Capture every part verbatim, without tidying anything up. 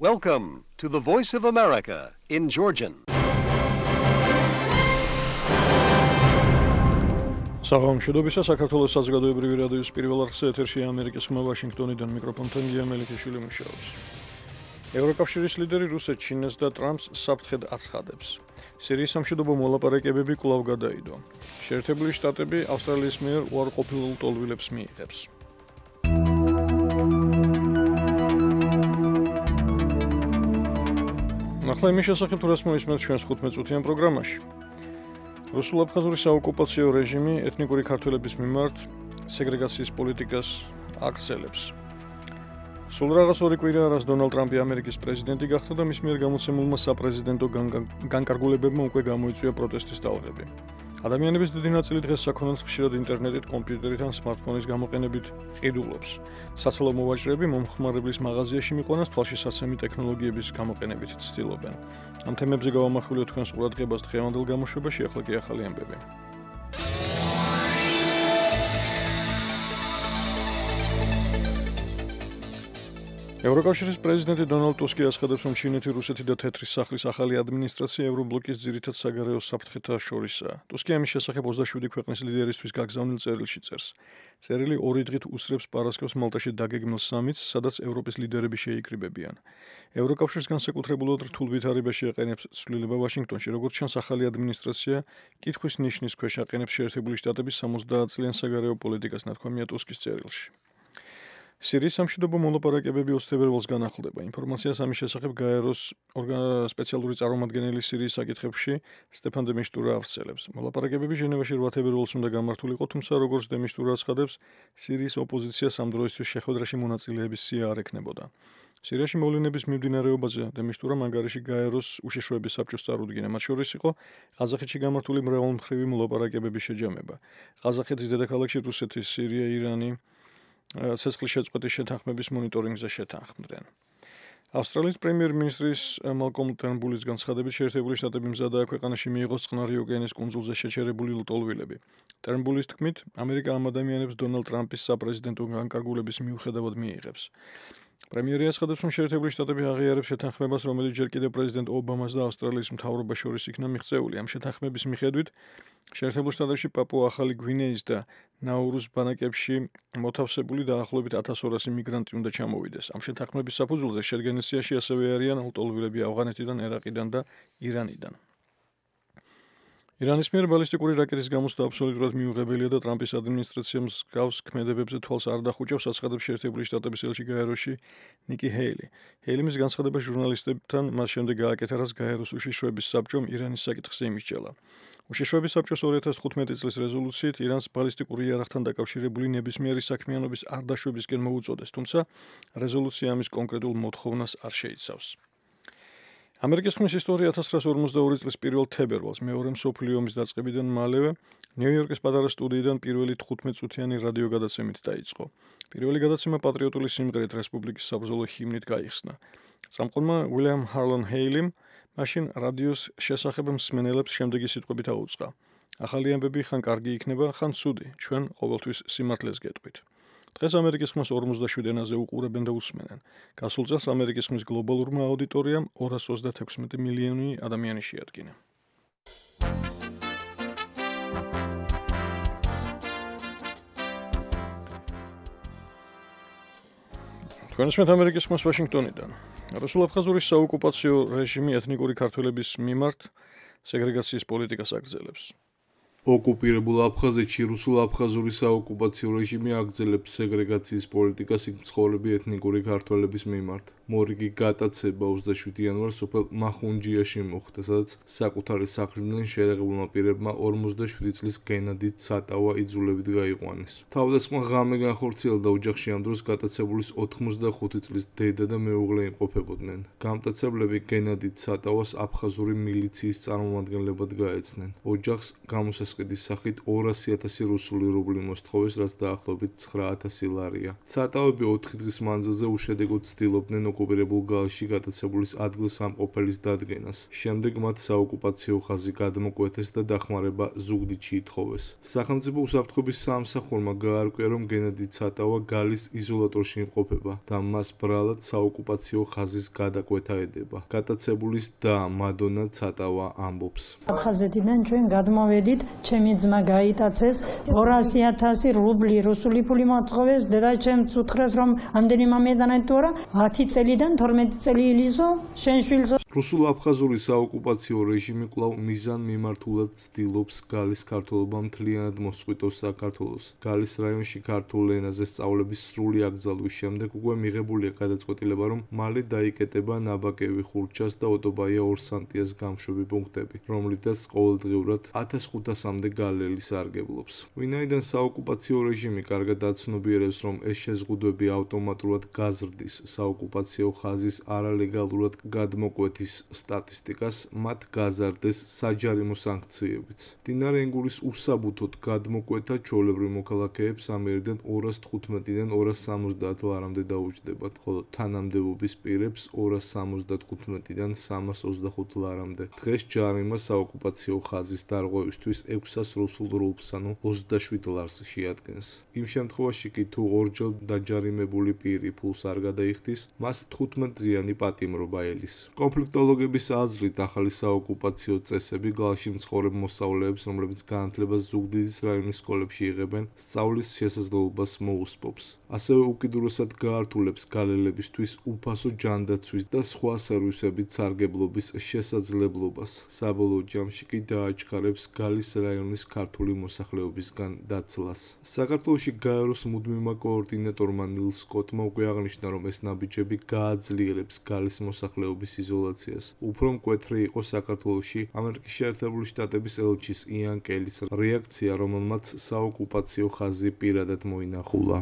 Welcome to the Voice of America in Georgian. საღამოშობისა საქართველოს საზოგადოებრივი რადიოს პირველ არხზე ეთერში ამერიკის ხმა ვაშინგტონიდან მიკროფონთან გია მელიქიშვილი მუშაობს. ევროკავშირის ლიდერი რუსეთს, ჩინეთს და ტრამპს საფრთხედ აცხადებს. სირიის სამშვიდობო მოლაპარაკებები კვლავ გადაიდო. შეერთებული შტატები ავსტრალიის მიერ უარყოფილ ლტოლვილებს მიიღებს. ახლა იმის შესახებ თუ რას მოისმენთ ჩვენს თხუთმეტ წუთიან პროგრამაში. რუსულ-აფხაზური საოკუპაციო რეჟიმი ეთნიკური ქართველების მიმართ სეგრეგაციის პოლიტიკას აგრძელებს. სულ რაღაც ორი კვირაა, რაც დონალდ ტრამპი ამერიკის პრეზიდენტი გახდა და მის მიერ გამოცემულმა საპრეზიდენტო განკარგულებებმა უკვე გამოიწვია პროტესტის ტალღები. ადამიანების დიდი ნაწილი დღეს საქონელს ხშირად ინტერნეტით, კომპიუტერით ან სმარტფონის გამოყენებით ყიდულობს. საცალო მოვაჭრეები მომხმარებლის მაღაზიაში მიყვანას თვალშისაცემი ტექნოლოგიების გამოყენებით ცდილობენ. ამ თემებზე გავამახვილოთ თქვენს ყურადღებას დღევანდელ გამოშვებაში, ახლა კი ახალი ამბები. ევროკავშირის პრეზიდენტი დონალდ ტუსკი აცხადებს, რომ ჩინეთი, რუსეთი და თეთრის სახლის ახალი ადმინისტრაცია ევრობლოკის ძირითად საგარეო საფრთხეთა შორისაა. ტუსკი ამის შესახებ ოცდაშვიდი ქვეყნის ლიდერისთვის გაგზავნილ წერილში წერს. წერილი ორი დღით უსწრებს პარასკევს მალტაში დაგეგმილ სამიტს, სადაც ევროპის ლიდერები შეიკრიბებიან. ევროკავშირს განსაკუთრებულად რთულ ვითარებაში ეყენებს ცვლილება ვაშინგტონში, როგორც ჩანს, ახალი ადმინისტრაცია კითხვის ნიშნის ქვეშ აყენებს შეერთებული შტატების სამოცდაათ წლიან საგარეო პოლიტიკას, ნათქვამია ტუსკის წერილში. სირიის სამშვიდობო მოლაპარაკებები ოცი თებერვალს განახლდება. ინფორმაციას ამის შესახებ გაეროს სპეციალური წარმომადგენელი სირიის საკითხებში სტეფან დე მისტურა ავრცელებს. მოლაპარაკებები ჟენევაში რვა თებერვალს უნდა გამართულიყო, თუმცა როგორც დე მისტურა აცხადებს, სირიის ოპოზიციას ამ დროისთვის შეხვედრაში მონაწილეების სია არ ექნებოდა. სირიაში მოვლენების მიმდინარეობაზე დე მისტურამ ანგარიში გაეროს უშიშროების საბჭოს წარუდგინა. მათ შორის იყო ყაზახეთში გამართული მრავალმხრივი მოლაპარაკებების შეჯამება. ყაზახეთის დედაქალაქში რუსეთი, სირია, ირანი ცეცხლის შეწყვეტის შეთანხმების მონიტორინგზე შეთანხმდნენ. ავსტრალიის პრემიერ-მინისტრის მალკომ ტერნბულის განცხადებით, შეერთებული შტატები მზადაა ქვეყანაში მიიღოს წყნარი ოკეანის კუნძულზე შეჩერებული ლტოლვილები. ტერნბულის თქმით, ამერიკა ამ ადამიანებს დონალდ ტრამპის საპრეზიდენტო განკარგულების მიუხედავად მიიღებს. პრემიერი აცხადებს, რომ შეერთებული შტატები აღიარებს შეთანხმებას, რომელიც ჯერ კიდევ პრეზიდენტ ობამას და ავსტრალიის მთავრობას შორის იქნა მიღწეული. ამ შეთანხმების მიხედვით შეერთებულ შტატებში პაპუა-ახალი გვინეის და ნაურუს ბანაკებში მოთავსებული დაახლოებით ათას ორასი მიგრანტი უნდა ჩამოვიდეს. ამ შეთანხმების საფუძველზე შედგენილ სიაში ასევე არიან ლტოლვილები ავღანეთიდან, ერაყიდან და ირანიდან. ირანის მიერ ბალისტიკური რაკეტის გამოცდა აბსოლუტურად მიუღებელია და ტრამპის ადმინისტრაციამ მსგავს ქმედებებზე თვალს არ დახუჭავს, აცხადებს შეერთებული შტატების ელჩი გაეროში ნიკი ჰეილი. ჰეილი მის განცხადებას ჟურნალისტებთან მას შემდეგ გააკეთა, რაც გაეროს უშიშროების საბჭომ ირანის საკითხზე იმისჯელა. უშიშროების საბჭოს ორი ათას თხუთმეტი წლის რეზოლუციით ირანს ბალისტიკური იარაღთან დაკავშირებული ნებისმიერი საქმიანობის არ დაშვებისკენ მოუწოდეს, თუმცა რეზოლუცია ამის კონკრეტულ მოთხოვნას არ შეიცავს. ამერიკის ხმის ისტორია ათას ცხრაასი ორმოცდაორი წლის პირველ თებერვალს, მეორე მსოფლიო ომის დაწყებიდან მალევე, ნიუ-იორკის პატარა სტუდიიდან პირველი თხუთმეტ წუთიანი რადიო გადაცემით დაიწყო. პირველი გადაცემა პატრიოტული სიმღერით რესპუბლიკის საბრძოლო ჰიმნით გაიხსნა. წამყვანმა უილიამ ჰარლონ ჰეილიმ მაშინ რადიოს შესახებ მსმენელებს შემდეგი სიტყვებით აუწყა: ახალი ამბები ხან კარგი იქნება, ხან ცუდი, ჩვენ ყოველთვის სიმართლეს გეტყვით. დღეს ამერიკის ხმას ორმოცდაშვიდ ენაზე უყურებენ და უსმენენ. გასულ წელს ამერიკის ხმის გლობალურმა აუდიტორიამ ორას ოცდათექვსმეტი მილიონი ადამიანი შეადგინა. თქვენსმეთ ამერიკის ხმას ვაშინგტონიდან. რუსულ-აფხაზური საოკუპაციო რეჟიმი ეთნიკური ქართველების მიმართ სეგრეგაციის პოლიტიკას აგრძელებს. ოკუპირებულ აფხაზეთში რუსულ-აფხაზური საოკუპაციო რეჟიმი აგრძელებს სეგრეგაციის პოლიტიკას იქ მცხოვრები ეთნიკური ქართველების მიმართ. მორიგი გატაცება ოცდაშვიდ იანვარს სოფელ მახუნჯიაში მოხდა, სადაც საკუთარი სახლიდან შეერაღებულმა პირებმა ორმოცდაშვიდი წლის გენადით სატავა იძულებით გაიყვანეს. თავდასხმა ღამე განხორციელდა ოჯახში ამ დროს გატაცებულის ოთხმოცდახუთი წლის დედა და მეუღლე იმყოფებოდნენ. გამტაცებლები გენადით სატავას აფხაზური მილიციის წარმომადგენლებად გაეცნენ. ოჯახს გამოსა მოსყიდის სახით ორასი ათასი რუსული რუბლი მოსთხოვეს, რაც დაახლოებით ცხრა ათასი ლარია. ცატავები ოთხი დღის მანძილზე უშედეგოდ ცდილობდნენ ოკუპირებულ გალში გატაცებულის ადგილსამყოფელის დადგენას. შემდეგ მათ საოკუპაციო ხაზი გადმოკვეთეს და დახმარება ზუგდიდში ითხოვეს. სახელმწიფო უსაფრთხოების საამსახურმა გაარკვია, რომ გენადი ცატავა გალის იზოლატორში იმყოფება და მას ბრალად საოკუპაციო ხაზის გადაკვეთა ედება. გატაცებულის და მადონა ცატავა ამბობს. აფხაზეთიდან ჩვენ გადმოვედით, ჩემი ძმა გაიტაცეს ორასი ათასი რუბლი რუსული ფული მოთხოვეს, დედაჩემს უთხრეს, რომ ამდენი მომედანეთ თორა ათი წელიდან თორმეტი წელი ილიზო, შენ შვილს. რუსულ-აფხაზური საოკუპაციო რეჟიმი კვლავ მიზანმიმართულად ცდილობს გალის ქართველობა მთლიანად მოსწყვიტოს საქართველოს. გალის რაიონში ქართულ ენაზე სწავლების სრული აკრძალვის შემდეგ უკვე მიღებულია გადაწყვეტილება, რომ მალე დაიკეტება ნაბაკევი, ხურჩას და ოტობაია ორსანტიას გამშვები პუნქტები, რომლითაც ყოველდღიურად ათას ხუთასამდე გალელი სარგებლობს. ვინაიდან საოკუპაციო რეჟიმი კარგად აცნობიერებს, რომ ეს შეზღუდვები ავტომატურად გაზრდის საოკუპაციო ხაზის არალეგალურად გადმოკვეთის სტატისტიკას, მათ გაზარდეს საჯარიმო სანქციებიც. მდინარე ენგურის უსაბუთოდ გადმოკვეთა ჩვეულებრივ მოქალაქეებს ამიერიდან ორას თხუთმეტიდან ორას სამოცდაათ ლარამდე დაუჯდებათ, ხოლო თანამდებობის პირებს ორას სამოცდათხუთმეტიდან სამას ოცდახუთ ლარამდე. დღეს ჯარიმა საოკუპაციო ხაზის დარღვევისთვის ექვსას რუსულ რუბლს, ანუ ოცდაშვიდ ლარს შეადგენს. იმ შემთხვევაში კი თუ ორჯერ დაჯარიმებული პირი ფულს არ გადაიხდის, მას თხუთმეტდღიანი პატიმრობა ელის. კონფლიქტოლოგების აზრით, ახალი საოკუპაციო წესები გალში მცხოვრებ მოსწავლეებს, რომლებიც განათლებას ზუგდიდის რაიონის სკოლებში იღებენ, სწავლის შესაძლებლობას მოუსპობს. ასევე უკიდურესად გაართულებს გალელებისთვის უფასო ჯანდაცვის და სხვა სერვისებით სარგებლობის შესაძლებლობას. საბოლოო ჯამში კი დააჩქარებს გალის რაიონის ქართული მოსახლეობისგან დაცლას. საქართველოში გაეროს მუდმივმა კოორდინატორმა ნილ სკოტმა უკვე აღნიშნა, რომ ეს ნაბიჯები გააძლიერებს გალის მოსახლეობის იზოლაციას. უფრო მკვეთრი იყო საქართველოში ამერიკის შეერთებული შტატების ელჩის იან კელის რეაქცია, რომელმაც საოკუპაციო ხაზი პირადად მოინახულა.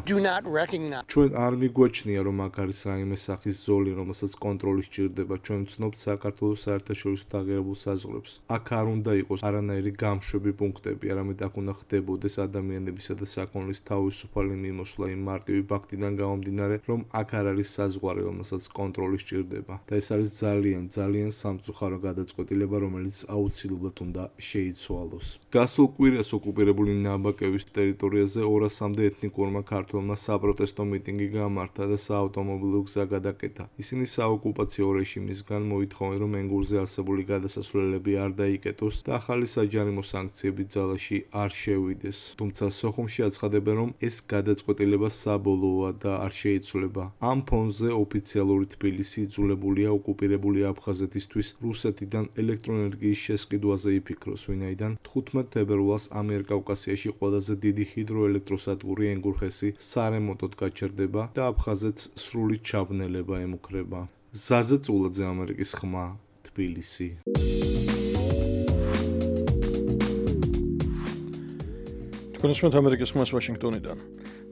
ჩვენ არ მიგვაჩნია, რომ აქ არის რაიმე სახის ზოლი, რომელსაც კონტროლი სჭირდება. ჩვენ ვცნობთ საქართველოს საერთაშორისო დაღერებულ საზღვრებს. აქ არ უნდა იყოს არანაირი გამშვები პუნქტები, არამედ აქ უნდა ხდებოდეს ადამიანებისა და საქონლის თავისუფალი მიმოსვლა იმ მარტივი ფაქტიდან გამომდინარე, რომ აქ არ არის საზღვარი, რომელსაც კონტროლი სჭირდება. და ეს არის ძალიან, ძალიან სამწუხარო გადაწყვეტილება, რომელიც აუცილებლად უნდა შეიცვალოს. გასულ კვირას ოკუპირებული ნაბაკევის ტერიტორიაზე ორასამდე ეთნიკურმა ქართველმა საპროტესტო მიტინგი გამართა და საავტომობილო გზა გადაკეტა. ისინი საოკუპაციო რეჟიმისგან მოითხოვენ, რომ ენგურზე არსებული გადასასვლელები არ დაიკეტოს და ახალი საჯარიმო სანქციები ძალაში არ შევიდეს. თუმცა სოხუმში აცხადებენ, რომ ეს გადაწყვეტილება საბოლოოა და არ შეიცვლება. ამ ფონზე ოფიციალური თბილისი იძულებულია ოკუპირებული აფხაზეთისთვის რუსეთიდან ელექტროენერგიის შესყიდვაზე იფიქროს, ვინაიდან თხუთმეტ თებერვალს ამიერკავკასიაში ყველაზე დიდი ჰიდროელექტროსადგური ენგურხესი სარემონტოდ გაჩერდება და აფხაზეთს სრული ჩაბნელება ემუქრება. ზაზა წულაძე, ამერიკის ხმა, თბილისი. თქვენსმენთ ამერიკის ხმას ვაშინგტონიდან.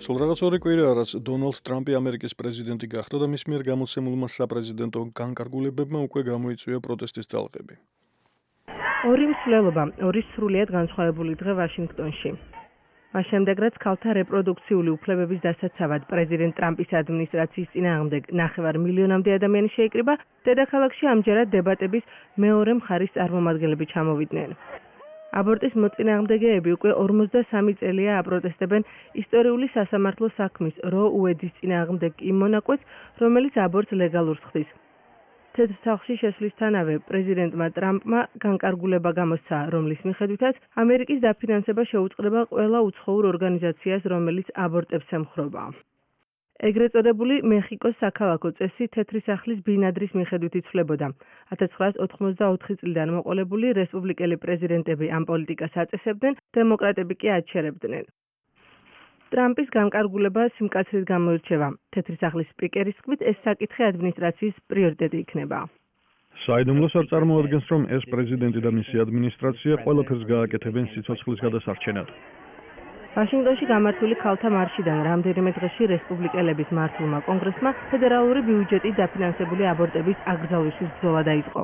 სულ რაღაც ორი კვირაა, რაც დონალდ ტრამპი ამერიკის პრეზიდენტი გახდა და მის მიერ გამოცემულმა საპრეზიდენტო განკარგულებებმა უკვე გამოიწვია პროტესტის ძალყები. ორი მსვლელობა, ორი სრულიად განსხვავებული დღე ვაშინგტონში. მას შემდეგ, რაც ქალთა რეპროდუქციული უფლებების დასაცავად პრეზიდენტ ტრამპის ადმინისტრაციის წინააღმდეგ ნახევარ მილიონამდე ადამიანი შეიკრიბა, დედაქალაქში ამჯერად დებატების მეორე მხარის წარმომადგენლები ჩამოვიდნენ. აბორტის მოწინააღმდეგეები უკვე ორმოცდასამი წელია აპროტესტებენ ისტორიული სასამართლო საქმის რო უედის წინააღმდეგ იმ მონაკვეთს, რომელიც აბორტს ლეგალურს ხდის. თეთრ სახლში შესვლისთანავე პრეზიდენტმა ტრამპმა განკარგულება გამოსცა, რომლის მიხედვითაც ამერიკის დაფინანსება შეუწყდება ყველა უცხოურ ორგანიზაციას, რომელიც აბორტებს ემხრობა. ეგრეთ წოდებული მეხიკოს საქალაქო წესი თეთრი სახლის ბინადრის მიხედვით იცვლებოდა. ათას ცხრაას ოთხმოცდაოთხი წლიდან მოყოლებული რესპუბლიკელი პრეზიდენტები ამ პოლიტიკას აწესებდნენ, დემოკრატები კი აჩერებდნენ. ტრამპის განკარგულება სიმკაცრით გამოირჩევა. თეთრი სახლის სპიკერის თქმით, ეს საკითხი ადმინისტრაციის პრიორიტეტი იქნება. საიდუმლოს არ წარმოადგენს, რომ ეს პრეზიდენტი და მისი ადმინისტრაცია ყველაფერს გააკეთებენ სიცოცხლის გადასარჩენად. ვაშინგტონში გამართული ქალთა მარშიდან რამდენიმე დღეში რესპუბლიკელების მართულმა კონგრესმა ფედერალური ბიუჯეტით დაფინანსებული აბორტების აკრძალვისთვის ბრძოლა დაიწყო.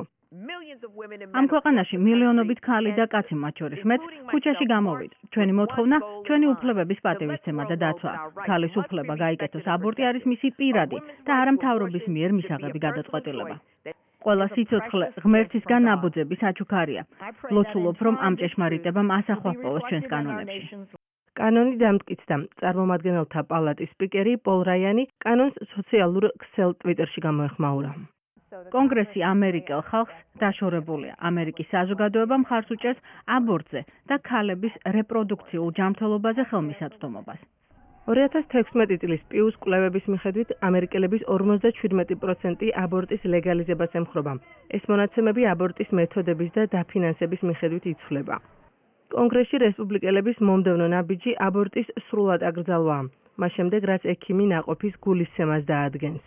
ამ ქვეყანაში მილიონობით ქალი და კაცი მათ შორის მეც ქუჩაში გამოვიდ. ჩვენი მოთხოვნა, ჩვენი უფლებების პატივისცემა და დაცვა. ქალის უფლება გაიკეთოს აბორტი არის მისი პირადი და არა მთავრობის მიერ მისაღები გადაწყვეტილება. ყველა სიცოცხლე ღმერთისგან ნაბოძები საჩუქარია. ლოცულობ, რომ ამ ჭეშმარიტებამ ასახვა ჰპოვოს ჩვენს კანონებში. კანონი დამტკიცდა. წარმომადგენელთა პალატის სპიკერი პოლ რაიანი კანონს სოციალურ ქსელ ტვიტერში გამოეხმაურა. კონგრესი ამერიკელ ხალხს დაშორებულია. ამერიკის საზოგადოება მხარს უჭერს აბორტზე და ქალების რეპროდუქციულ ჯანმრთელობაზე ხელმისაწვდომობას. ორი ათას თექვსმეტი წლის პიუს კვლევების მიხედვით ამერიკელების ორმოცდაშვიდმეტი პროცენტი აბორტის ლეგალიზებას ემხრობა. ეს მონაცემები აბორტის მეთოდების და დაფინანსების მიხედვით იცვლება. კონგრესში რესპუბლიკელების მომდევნო ნაბიჯი აბორტის სრულად აკრძალვაა, მას შემდეგ რაც ექიმი ნაყოფის გულისცემას დაადგენს.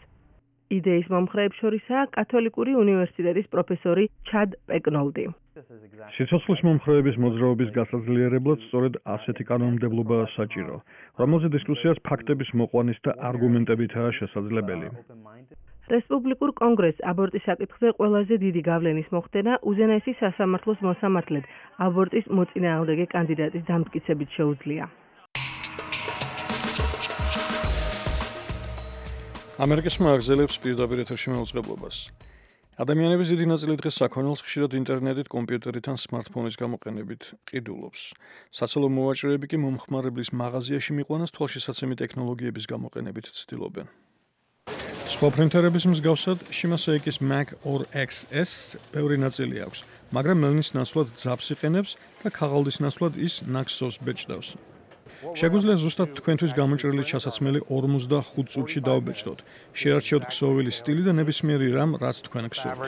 იდეის მომხრეებს შორისაა კათოლიკური უნივერსიტეტის პროფესორი ჩად პეკნოლდი. სიცოცხლის მომხრეების მოძრაობის გასაძლიერებლად სწორედ ასეთი კანონმდებლობაა საჭირო, რომელზე დისკუსიას ფაქტების მოყვანის და არგუმენტებითაა შესაძლებელი. რესპუბლიკურ კონგრესს აბორტის საკითხზე ყველაზე დიდი გავლენის მოხდენა უზენაესი სასამართლოს მოსამართლედ აბორტის მოწინააღმდეგე კანდიდატის დამტკიცებით შეუძლია. ამერიკასმა აგრძელებს პირდაპირ ეთერში მაუწყებლობას. ადამიანების დიდი ნაწილი დღეს საქონელს ხშირად ინტერნეტით, კომპიუტერით ან სმარტფონის გამოყენებით ყიდულობს. საცალო მოვაჭრეები კი მომხმარებლის მაღაზიაში მიყვანას თვალშისაცემი ტექნოლოგიების გამოყენებით ცდილობენ. სხვა პრინტერების მსგავსად, Shimaseki-ის Mac ორ ექს ეს ბევრი ნაწილი აქვს, მაგრამ მელნის ნაცვლად ძაბს იყენებს და ქაღალდის ნაცვლად ის Naxos ბეჭდავს. შეგვიძლია ზუსტად თქვენთვის გამოჭრილი ჩასაცმელი ორმოცდახუთ წუთში დავბეჭდოთ. შეარჩიოთ ქსოვილი სტილი და ნებისმიერი რამ, რაც თქვენ გსურთ.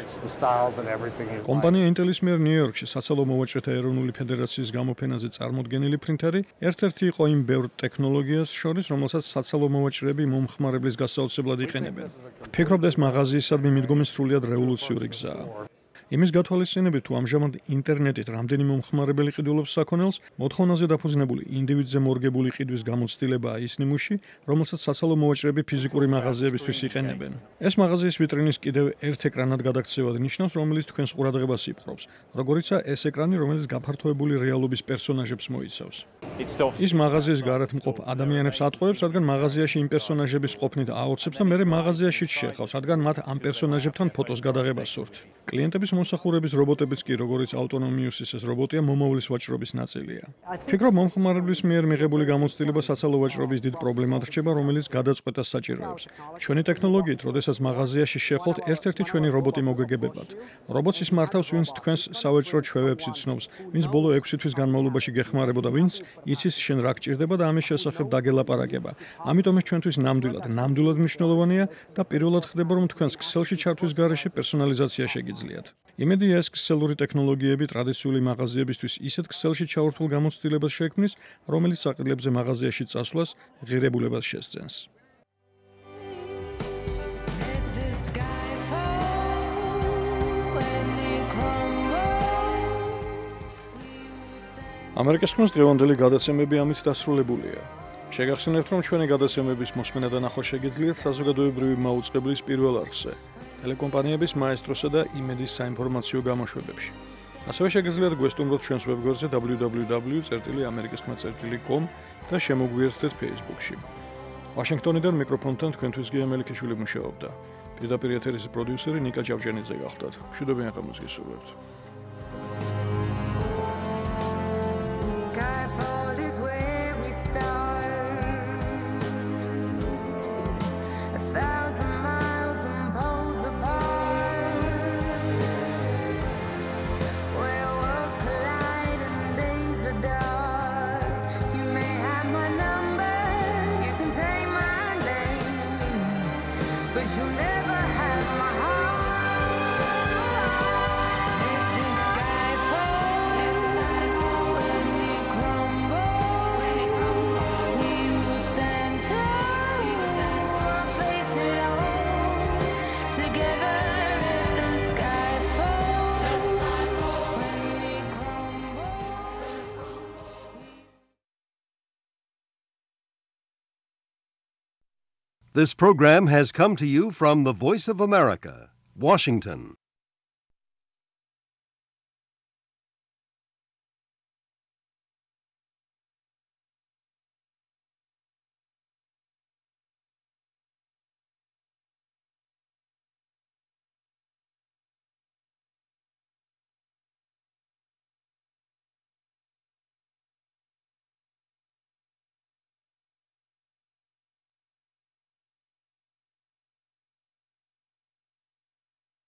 კომპანია Intel-ის მიერ ნიუ-იორკში საცალო მოვაჭრეთა ეროვნული ფედერაციის გამოფენაზე წარმოდგენილი პრინტერი ერთ-ერთი იყო იმ ბევრ ტექნოლოგიას შორის, რომელსაც საცალო მოვაჭრეები მომხმარებლის გასაოცებლად იყენებენ. ვფიქრობ, ეს მაღაზიისადმი მიდგომის სრულიად რევოლუციური გზაა. იმის გათვალისწინებით, თუ ამჟამად ინტერნეტით რამდენი მომხმარებელი ყიდულობს საქონელს, მოთხოვნაზე დაფუძნებული ინდივიდზე მორგებული ყიდვის გამოცდილებაა ის ნიმუში, რომელსაც საცალო მოვაჭრეები ფიზიკური მაღაზიებისთვის იყენებენ. ეს მაღაზიის ვიტრინის კიდევ ერთ ეკრანად გადაქცევად ნიშნავს, რომელიც თქვენს ყურადღებას იპყრობს, როგორიცაა ეს ეკრანი, რომელიც გაფართოებული რეალობის პერსონაჟებს მოიცავს. ის მაღაზიის გარეთ მყოფ ადამიანებს ატყუებს, რადგან მაღაზიაში იმ პერსონაჟების ყოფნით აოცებს და მერე მაღაზიაშიც შეხავს, რადგან მათ ამ პერსონაჟებთან ფოტოს გადაღებას სურთ. კლიენტების მოსახურების რობოტებიც კი, როგორც Autonomous-ის ეს რობოტია, მომავლის ვაჭრობის ნაწილია. ვფიქრობ, მომხმარებლის მიერ მიღებული გამოცდილება საცალო ვაჭრობის დიდ პრობლემად რჩება, რომელიც გადაწყვეტას საჭიროებს. ჩვენი ტექნოლოგიით, როდესაც მაღაზიაში შეხვალთ, ერთ-ერთი ჩვენი რობოტი მოგეგებებათ. რობოტს ის მართავს, ვინც თქვენს სავაჭრო ჩვევებს იცნობს, ვინც ბოლო ექვსი თვის განმავლობაში გეხმარებოდა, ვინც იცის შენ რა გჭირდება და ამის შესახებ დაგელაპარაკება. ამიტომ ეს ჩვენთვის ნამდვილად, ნამდვილად მნიშვნელოვანია და პირველად ხდება, რომ თქვენს ქსელში ჩართვის გარეშე პერსონალიზაცია შეგიძლიათ. იმედია, ეს ქსელური ტექნოლოგიები ტრადიციული მაღაზიებისთვის ისეთ ქსელში ჩაურთულ გამოცდილებას შექმნის, რომელიც საყიდლებზე მაღაზიაში წასვლას ღირებულებას შესძენს. ამერიკის ხმის დღევანდელი გადაცემები ამით დასრულებულია. შეგახსენებთ, რომ ჩვენი გადაცემების მოსმენა და ნახვა შეგიძლიათ საზოგადოებრივი მაუწყებლის პირველ არხზე, ტელეკომპანიების მაესტროსა და იმედის საინფორმაციო გამოშვებებში. ასევე შეგიძლიათ გვესტუმროთ ჩვენს ვებგვერდზე დაბლიუ დაბლიუ დაბლიუ წერტილი ამერიკის ხმა წერტილი კომ და შემოგვიერთდეთ Facebook-ში. ვაშინგტონიდან მიკროფონთან თქვენთვის გია მელიქიშვილი მუშაობდა. პირდაპირ ეთერის პროდიუსერი ნიკა ჭავჭანიძე გახლდათ. მშვიდობიან ღამეს გისურვებთ. This program has come to you from the Voice of America, Washington.